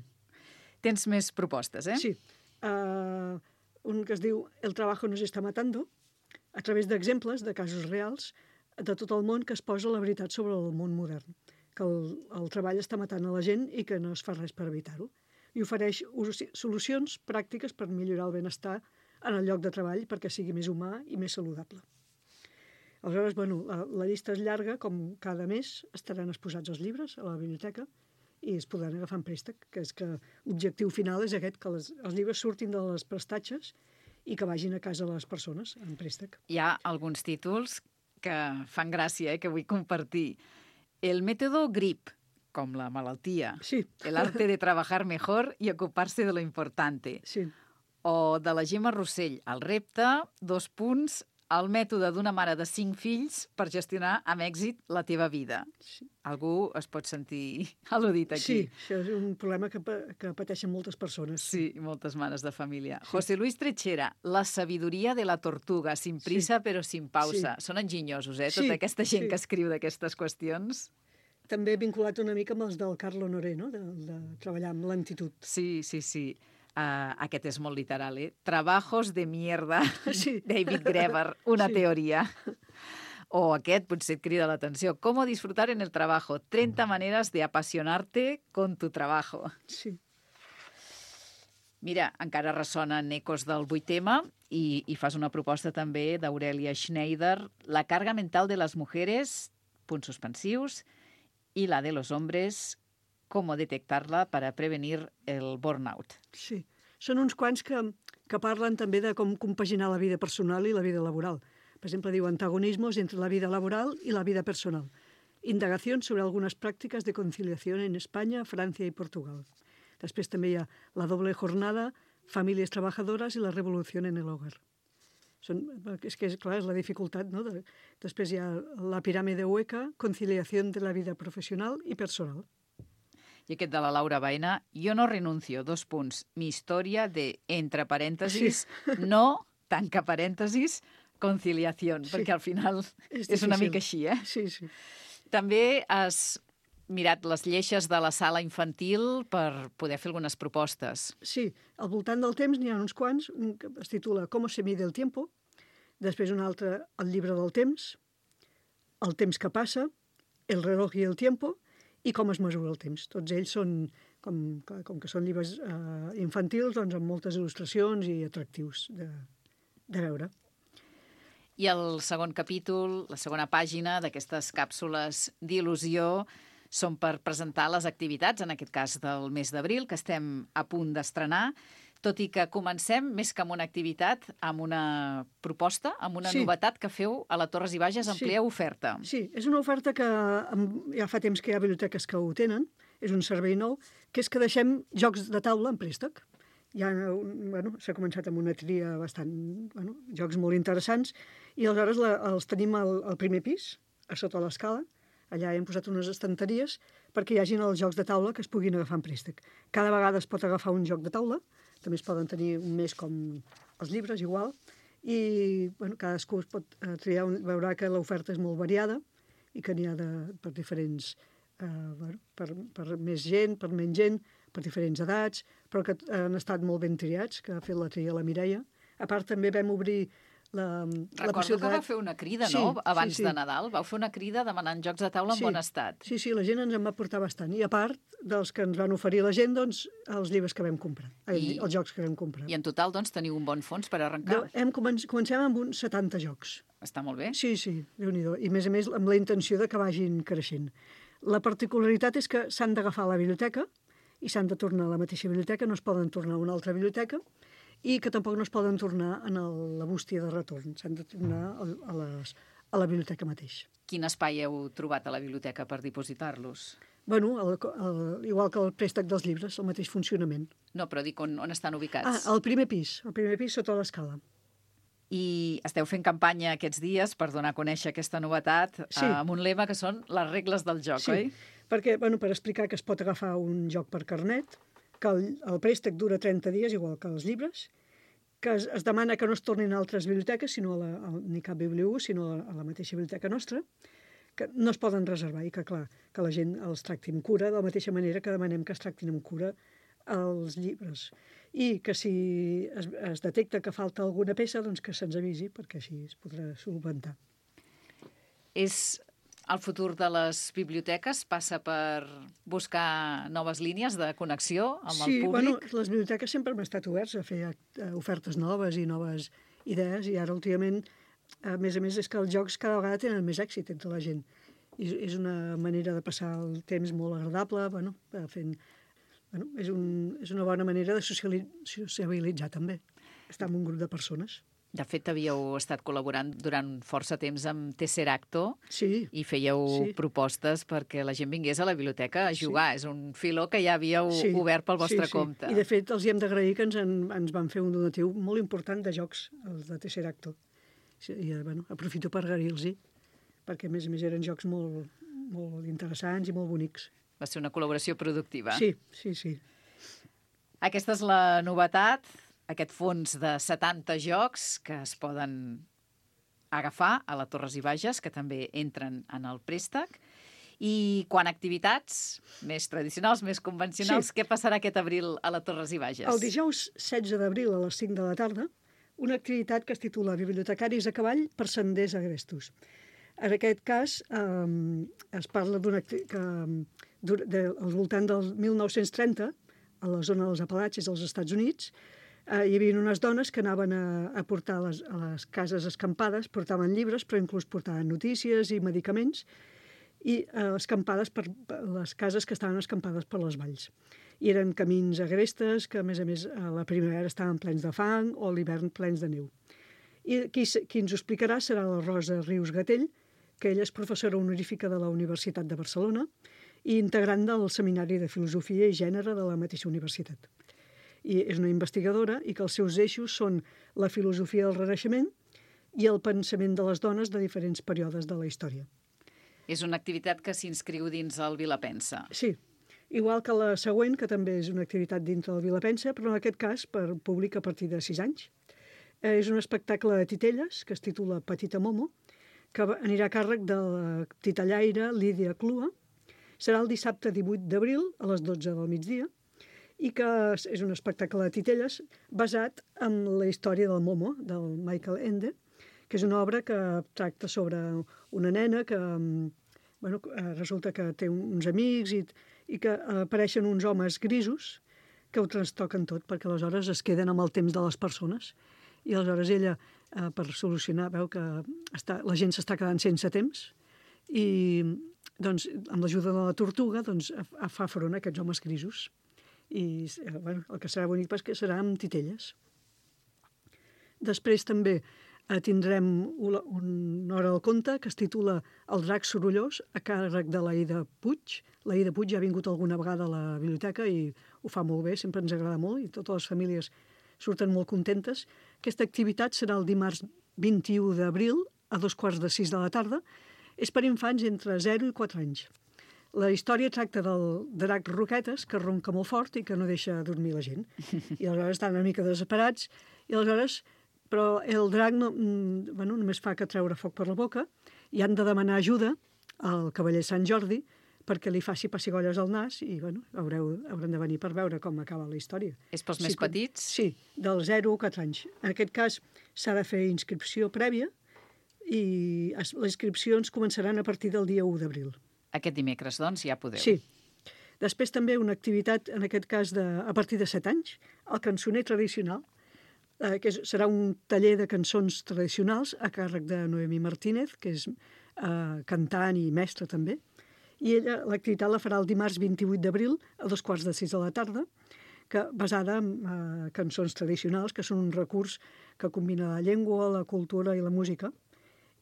Tens més propostes, eh? Sí. Uh, un que es diu El trabajo nos está matando, a través d'exemples de casos reals de tot el món que es posa la veritat sobre el món modern, que el, el treball està matant a la gent i que no es fa res per evitar-ho. I ofereix solucions pràctiques per millorar el benestar en el lloc de treball perquè sigui més humà i més saludable. Aleshores, bueno, la, la llista és llarga, com cada mes estaran exposats els llibres a la biblioteca i es podran agafar en préstec, que és que l'objectiu final és aquest, que les, els llibres surtin de les prestatges i que vagin a casa les persones en préstec. Hi ha alguns títols que fan gràcia, eh, que vull compartir. El método GRIP, com la malaltia. Sí. El arte de trabajar mejor y ocuparse de lo importante. Sí. O de la Gemma Rossell, el repte, dos punts, el mètode d'una mare de cinc fills per gestionar amb èxit la teva vida. Sí. Algú es pot sentir al·ludit aquí. Sí, això és un problema que, que pateixen moltes persones. Sí, moltes mares de família. Sí. José Luis Trechera, la sabiduria de la tortuga, sin prisa sí. però sin pausa. Sí. Són enginyosos, eh? Tota sí, aquesta gent sí. que escriu d'aquestes qüestions. També vinculat una mica amb els del Carlo Honoré, no? De, de treballar amb lentitud. Sí, sí, sí. Uh, aquest és molt literal, eh? Trabajos de mierda, sí. David Graeber, una sí. teoria. O aquest potser et crida l'atenció. Cómo disfrutar en el trabajo. treinta maneras de apasionarte con tu trabajo. Sí. Mira, encara ressonen ecos del vuitema i, i fas una proposta també d'Aurelia Schneider. La carga mental de les mujeres, punts suspensius, i la de los hombres, cómo detectarla para prevenir el burnout. Sí, són uns quants que, que parlen també de com compaginar la vida personal i la vida laboral. Per exemple, diu antagonismos entre la vida laboral y la vida personal. Indagación sobre algunas prácticas de conciliación en España, Francia y Portugal. Després també hi ha la doble jornada, famílies trabajadores i la revolució en el hogar. Són, és que, clar, és la dificultat, no? De, després hi ha la piràmide hueca, conciliación de la vida professional i personal. I aquest de la Laura Baena, yo no renuncio, dos punts, mi historia de, entre parèntesis, sí. no, tanca parèntesis, conciliació, sí. perquè al final és, és una mica així, eh? Sí, sí. També has mirat les lleixes de la sala infantil per poder fer algunes propostes. Sí, al voltant del temps n'hi ha uns quants, un que es titula Cómo se mide el tiempo, després un altre, El llibre del temps, El temps que passa, El reloj i el tiempo, i com es mesura el temps. Tots ells són, com, com que són llibres eh, infantils, doncs amb moltes il·lustracions i atractius de, de veure. I el segon capítol, la segona pàgina d'aquestes càpsules d'il·lusió són per presentar les activitats, en aquest cas del mes d'abril, que estem a punt d'estrenar, tot i que comencem, més que amb una activitat, amb una proposta, amb una sí. novetat que feu a la Torres i Bages, amplieu sí. oferta. Sí, és una oferta que ja fa temps que hi ha biblioteques que ho tenen, és un servei nou, que és que deixem jocs de taula en préstec. Ja, bueno, s'ha començat amb una tria bastant, bueno, jocs molt interessants, i aleshores la, els tenim al, al primer pis, a sota l'escala. Allà hem posat unes estanteries perquè hi hagin els jocs de taula que es puguin agafar en préstec. Cada vegada es pot agafar un joc de taula, també es poden tenir un mes com els llibres, igual, i bueno, cadascú es pot eh, triar, un, veurà que l'oferta és molt variada i que n'hi ha de, per diferents, eh, bueno, per, per més gent, per menys gent, per diferents edats, però que han estat molt ben triats, que ha fet la tria la Mireia. A part, també vam obrir la, la Recordo que va fer una crida, no?, sí, abans sí, sí. de Nadal. Vau fer una crida demanant jocs de taula en sí, bon estat. Sí, sí, la gent ens en va portar bastant. I a part dels que ens van oferir la gent, doncs, els llibres que vam comprar, I, els jocs que vam comprar. I en total, doncs, teniu un bon fons per arrencar? De, hem començ, comencem amb uns setanta jocs. Està molt bé. Sí, sí, Déu-n'hi-do. I, a més a més, amb la intenció de que vagin creixent. La particularitat és que s'han d'agafar a la biblioteca i s'han de tornar a la mateixa biblioteca, no es poden tornar a una altra biblioteca, i que tampoc no es poden tornar en el, la bústia de retorn, s'han de tornar a, a, les, a la biblioteca mateix. Quin espai heu trobat a la biblioteca per dipositar-los? Bueno, el, el, igual que el préstec dels llibres, el mateix funcionament. No, però dic on, on estan ubicats. Ah, al primer pis, al primer pis sota l'escala. I esteu fent campanya aquests dies per donar a conèixer aquesta novetat sí. amb un lema que són les regles del joc, sí. oi? Perquè, bueno, per explicar que es pot agafar un joc per carnet, que el, el préstec dura trenta dies, igual que els llibres, que es, es demana que no es tornin a altres biblioteques, sinó a la, a, ni cap bibliu, sinó a, a la mateixa biblioteca nostra, que no es poden reservar i que, clar, que la gent els tracti amb cura, de la mateixa manera que demanem que es tractin amb cura els llibres. I que si es, es detecta que falta alguna peça, doncs que se'ns avisi, perquè així es podrà solventar. És el futur de les biblioteques? Passa per buscar noves línies de connexió amb sí, el públic? Bueno, les biblioteques sempre han estat oberts a fer ofertes noves i noves idees, i ara últimament, a més a més, és que els jocs cada vegada tenen més èxit entre la gent. I és una manera de passar el temps molt agradable, bueno, fent... Bueno, és, un, és una bona manera de sociabilitzar també, estar amb un grup de persones. De fet, havíeu estat col·laborant durant força temps amb Tesseracto sí, i fèieu sí. propostes perquè la gent vingués a la biblioteca a jugar. Sí. És un filó que ja havíeu sí, obert pel vostre sí, sí. compte. I, de fet, els hi hem d'agrair que ens, en, ens van fer un donatiu molt important de jocs, els de Tesseracto. I, bueno, aprofito per agrair-los-hi, perquè, a més a més, eren jocs molt, molt interessants i molt bonics. Va ser una col·laboració productiva. Sí, sí, sí. Aquesta és la novetat, aquest fons de setanta jocs que es poden agafar a la Torres i Bages, que també entren en el préstec. I quan activitats més tradicionals, més convencionals, sí. Què passarà aquest abril a la Torres i Bages? El dijous setze d'abril a les cinc de la tarda, una activitat que es titula Bibliotecaris a cavall per senders agrestos. En aquest cas, eh, es parla d'una que de, al voltant del mil nou-cents trenta, a la zona dels Apalatxes dels Estats Units, eh, hi havia unes dones que anaven a, a portar a les, a les cases escampades, portaven llibres, però inclús portaven notícies i medicaments, i eh, escampades per, per les cases que estaven escampades per les valls. I eren camins agrestes que, a més a més, a la primavera estaven plens de fang o a l'hivern plens de neu. I qui, qui ens ho explicarà serà la Rosa Rius Gatell, que ella és professora honorífica de la Universitat de Barcelona i integrant del Seminari de Filosofia i Gènere de la mateixa universitat. I és una investigadora i que els seus eixos són la filosofia del Renaixement i el pensament de les dones de diferents períodes de la història. És una activitat que s'inscriu dins el Vilapensa. Sí, igual que la següent, que també és una activitat dintre del Vilapensa, però en aquest cas per públic a partir de sis anys. Eh, és un espectacle de titelles que es titula Petita Momo, que anirà a càrrec de la titellaire Lídia Clua. Serà el dissabte divuit d'abril a les dotze del migdia i que és un espectacle de titelles basat en la història del Momo, del Michael Ende, que és una obra que tracta sobre una nena que bueno, resulta que té uns amics i, i que apareixen uns homes grisos que ho trastoquen tot, perquè aleshores es queden amb el temps de les persones. I aleshores ella, eh, per solucionar, veu que està, la gent s'està quedant sense temps i doncs, amb l'ajuda de la tortuga doncs, fa front a aquests homes grisos. I eh, bueno, el que serà bonic és que serà amb titelles. Després també eh, tindrem una, una hora del conte que es titula El drac sorollós, a càrrec de l'Aida Puig. L'Aida Puig ja ha vingut alguna vegada a la biblioteca i ho fa molt bé, sempre ens agrada molt i totes les famílies surten molt contentes. Aquesta activitat serà el dimarts vint-i-u d'abril a dos quarts de sis de la tarda. És per infants entre zero i quatre anys. La història tracta del drac Roquetes, que ronca molt fort i que no deixa dormir la gent. I aleshores estan una mica desesperats. I aleshores, però el drac no, bueno, només fa que treure foc per la boca i han de demanar ajuda al cavaller Sant Jordi perquè li faci pessigolles al nas i bueno, haureu, haurem de venir per veure com acaba la història. És pels sí, més petits? Sí, del zero a quatre anys. En aquest cas s'ha de fer inscripció prèvia i les inscripcions començaran a partir del dia u d'abril. Aquest dimecres, doncs, ja podeu. Sí. Després també una activitat, en aquest cas de, a partir de set anys, el cançoner tradicional, eh, que és, serà un taller de cançons tradicionals a càrrec de Noemí Martínez, que és eh, cantant i mestra també, I ella l'activitat la farà el dimarts vint-i-vuit d'abril a dos quarts de sis de la tarda, que, basada en eh, cançons tradicionals, que són un recurs que combina la llengua, la cultura i la música,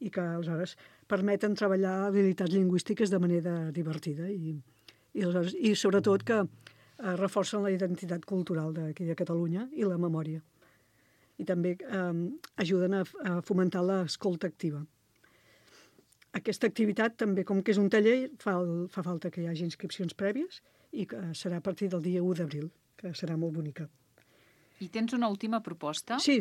i que aleshores permeten treballar habilitats lingüístiques de manera divertida i, i, aleshores, i sobretot que eh, reforcen la identitat cultural d'aquí de Catalunya i la memòria. I també eh, ajuden a, a fomentar l'escolta activa. Aquesta activitat també, com que és un taller, fa, el, fa falta que hi hagi inscripcions prèvies i que serà a partir del dia u d'abril, que serà molt bonica. I tens una última proposta? Sí.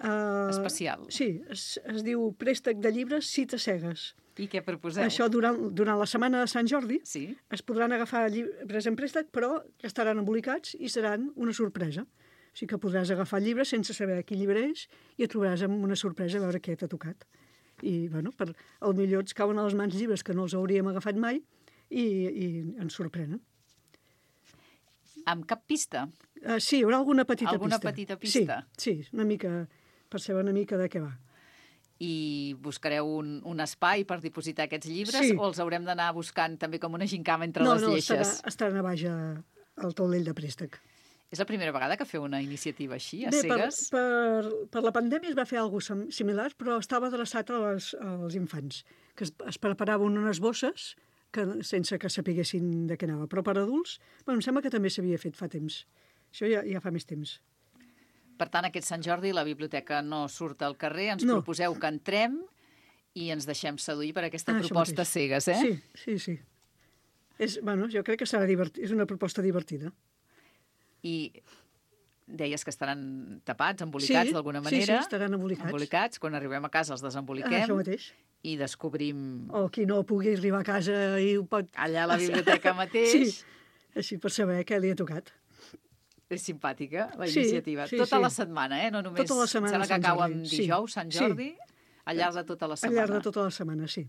Uh, Especial. Sí, es, es diu Préstec de llibres Cites cegues. I què proposeu? Això durant, durant la setmana de Sant Jordi sí. es podran agafar llibres en préstec, però que estaran embolicats i seran una sorpresa. O sigui que podràs agafar llibres sense saber quin llibre és i et trobaràs amb una sorpresa a veure què t'ha tocat. I, bueno, per, al millor ens cauen a les mans llibres que no els hauríem agafat mai i, i ens sorprenen. Amb cap pista? Uh, sí, hi haurà alguna petita alguna pista. Alguna petita pista? Sí, sí, una mica, per saber una mica de què va. I buscareu un, un espai per dipositar aquests llibres sí. o els haurem d'anar buscant també com una gincama entre no, les no, lleixes? No, no, estaran a baix al taulell de préstec. És la primera vegada que feu una iniciativa així, a Bé, cegues? Per, per, per la pandèmia es va fer alguna cosa similar, però estava adreçat als, als infants, que es, es preparaven unes bosses que, sense que sapiguessin de què anava. Però per adults, bueno, em sembla que també s'havia fet fa temps. Això ja, ja fa més temps. Per tant, aquest Sant Jordi la biblioteca no surt al carrer, ens no. proposeu que entrem i ens deixem seduir per aquesta ah, proposta cegues, eh? Sí, sí, sí. És, bueno, jo crec que serà divertit, és una proposta divertida. I deies que estaran tapats, embolicats sí, d'alguna manera. Sí, sí, estaran embolicats. Embolicats, quan arribem a casa els desemboliquem. Ah, això mateix. I descobrim... O qui no pugui arribar a casa i ho pot... Allà a la biblioteca mateix. Sí, així per saber què li ha tocat. És simpàtica, la sí, iniciativa. Sí, tota sí. la setmana, eh? No només... Tota la setmana. Sembla que cau amb dijous, sí. Sant Jordi, sí. al llarg de tota la setmana. Al llarg de tota la setmana, sí.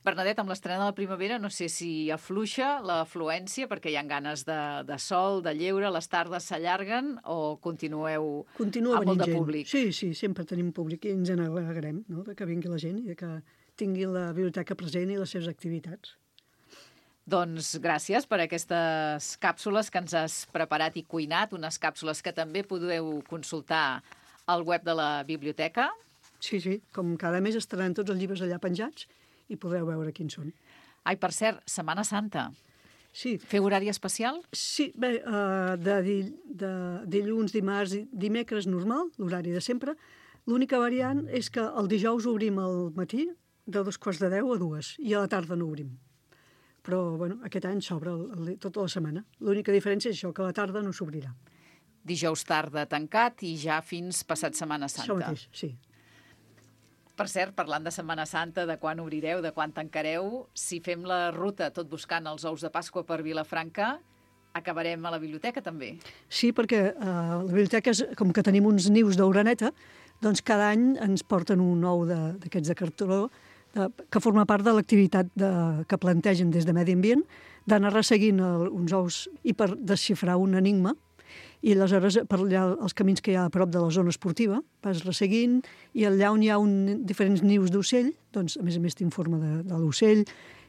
Bernadette, amb l'estrena de la primavera no sé si afluixa l'afluència perquè hi ha ganes de, de sol, de lleure, les tardes s'allarguen o continueu Continua amb molt de gent. públic? Sí, sí, sempre tenim públic i ens n'alegrem, no?, de que vingui la gent i de que tingui la biblioteca present i les seves activitats. Doncs gràcies per aquestes càpsules que ens has preparat i cuinat, unes càpsules que també podeu consultar al web de la biblioteca. Sí, sí, com cada mes estaran tots els llibres allà penjats i podreu veure quins són. Ai, per cert, Setmana Santa. Sí. Feu horari especial? Sí, bé, uh, de, de dilluns, dimarts i dimecres normal, l'horari de sempre. L'única variant és que el dijous obrim al matí de dos quarts de deu a dues i a la tarda no obrim. Però, bueno, aquest any s'obre tota la setmana. L'única diferència és això, que a la tarda no s'obrirà. Dijous tarda tancat i ja fins passat Setmana Santa. Això mateix, sí. Per cert, parlant de Setmana Santa, de quan obrireu, de quan tancareu, si fem la ruta tot buscant els ous de Pasqua per Vilafranca, acabarem a la biblioteca també. Sí, perquè uh, la biblioteca, és, com que tenim uns nius d'oreneta, doncs cada any ens porten un ou d'aquests de, de cartró de, que forma part de l'activitat que plantegen des de Medi Ambient, d'anar resseguint el, uns ous i per desxifrar un enigma. I aleshores, per allà, els camins que hi ha a prop de la zona esportiva, vas resseguint, i allà on hi ha un, diferents nius d'ocell, doncs, a més a més, t'informa de, de l'ocell,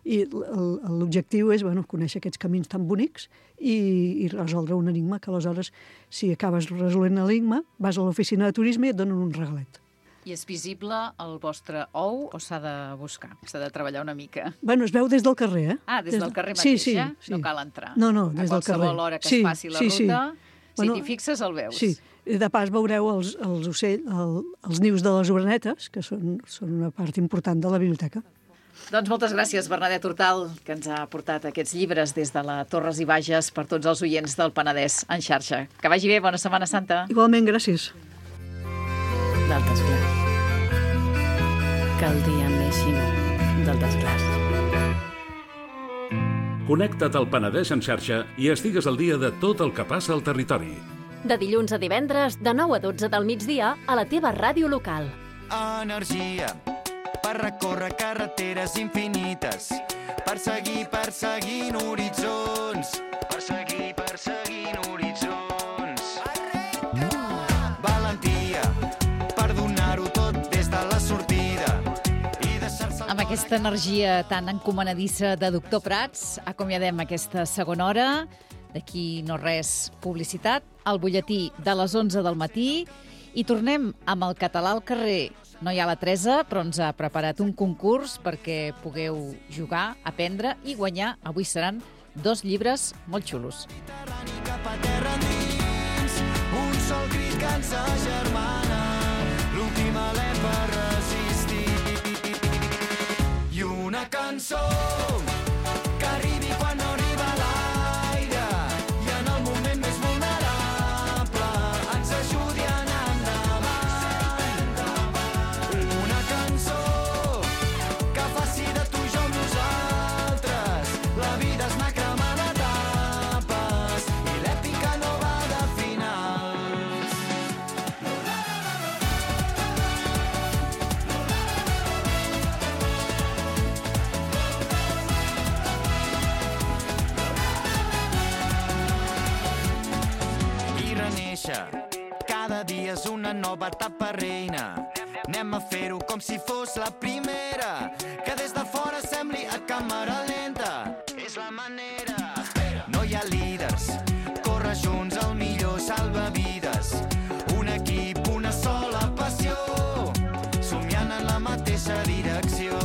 i l'objectiu és, bueno, conèixer aquests camins tan bonics i, i resoldre un enigma, que aleshores, si acabes resolent l'enigma, vas a l'oficina de turisme i et donen un regalet. I és visible el vostre ou o s'ha de buscar? S'ha de treballar una mica? Bueno, es veu des del carrer, eh? Ah, des, des del carrer mateix, mateix, sí, eh? Sí. No cal entrar. No, no, des del carrer. A qualsevol hora que sí, es faci la sí, ruta, sí. si bueno, t'hi fixes el veus. Sí, i de pas veureu els, els, ocell, el, els nius de les orenetes, que són, són una part important de la biblioteca. Doncs moltes gràcies, Bernadette Hortal, que ens ha portat aquests llibres des de la Torres i Bages per tots els oients del Penedès en xarxa. Que vagi bé, bona Setmana Santa. Igualment, gràcies. Del desglaç. Que el dia neixi del desglaç. Connecta't al Penedès en xarxa i estigues al dia de tot el que passa al territori. De dilluns a divendres, de nou a dotze del migdia, a la teva ràdio local. Energia per recórrer carreteres infinites, per seguir perseguint horitzons, per seguir perseguint horitzons. Valentia per donar-ho tot des de la sortida i deixar-se... Amb aquesta aquesta energia tan encomanadissa de doctor Prats, acomiadem aquesta segona hora. D'aquí no res, publicitat, el butlletí de les onze del matí i tornem amb el català al carrer. No hi ha la Teresa, però ens ha preparat un concurs perquè pugueu jugar, aprendre i guanyar. Avui seran dos llibres molt xulos. Cap a terra endins, un sol crit que ens agermana, l'últim alè per resistir. I una cançó que arribi quan no arriba l'aire i en el moment més vulnerable ens ajudi a anar endavant. Una cançó que faci de tu i jo amb nosaltres. La vida és anar cremant etapes i l'èpica no va de finals. I renéixer, cada dia és una nova etapa reina. Anem a fer-ho com si fos la primera, que des de fora sembli a càmera lenta. És la manera. No hi ha líders, corre junts el millor salvavides. Un equip, una sola passió, somiant en la mateixa direcció.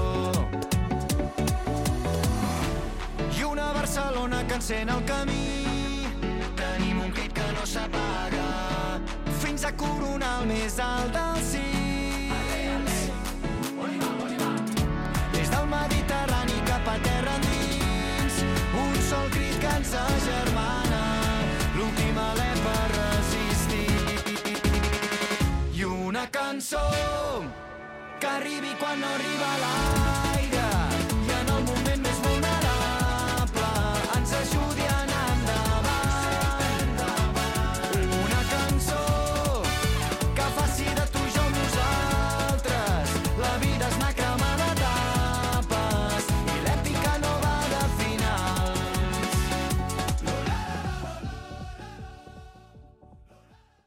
I una Barcelona que encén el camí. Tenim un crit que no s'apaga, fins a coronar el més alt dels cims. Des del Mediterrani cap a terra endins, un sol crit que ens agermana, l'últim alè per resistir. I una cançó que arribi quan no arriba l'aire i en el moment més